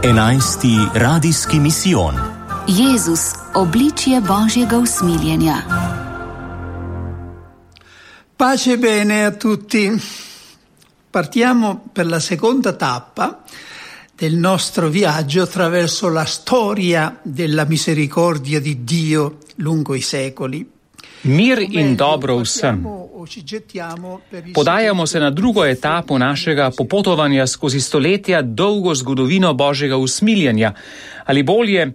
11. radijski misijon. Jezus, obličje Božjega usmiljenja. Pace bene a tutti. Partiamo per la seconda tappa del nostro viaggio attraverso la storia della misericordia di Dio lungo i secoli. Mir in dobro vsem. Podajamo se na drugo etapo našega popotovanja skozi stoletja dolgo zgodovino Božjega usmiljenja, ali bolje,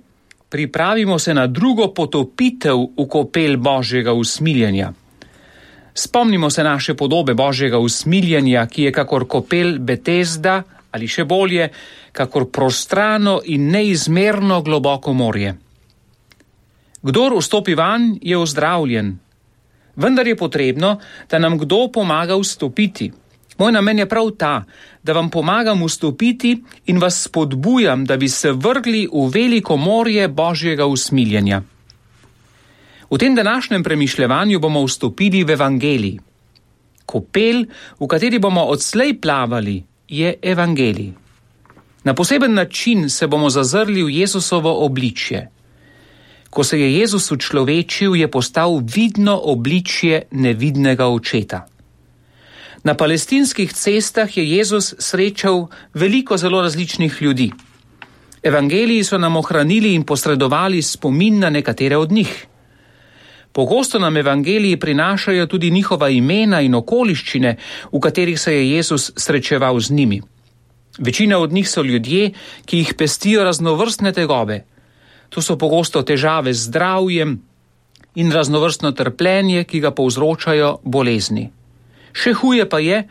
pripravimo se na drugo potopitev v kopel Božjega usmiljenja. Spomnimo se naše podobe Božjega usmiljenja, ki je kakor kopel Betesda, ali še bolje, kakor prostrano in neizmerno globoko morje. Kdor vstopi vanj, je ozdravljen. Vendar je potrebno, da nam kdo pomaga vstopiti. Moj namen je prav ta, da vam pomagam vstopiti in vas spodbujam, da bi se vrgli v veliko morje Božjega usmiljenja. V tem današnjem premišljevanju bomo vstopili v evangelij. Kopel, v kateri bomo odslej plavali, je evangelij. Na poseben način se bomo zazrli v Jezusovo obličje. Ko se je Jezus učlovečil, je postal vidno obličje nevidnega očeta. Na palestinskih cestah je Jezus srečal veliko zelo različnih ljudi. Evangeliji so nam ohranili in posredovali spomin na nekatere od njih. Pogosto nam evangeliji prinašajo tudi njihova imena in okoliščine, v katerih se je Jezus srečeval z njimi. Večina od njih so ljudje, ki jih pestijo raznovrstne tegobe. To so pogosto težave z zdravjem in raznovrstno trpljenje, ki ga povzročajo bolezni. Še huje pa je,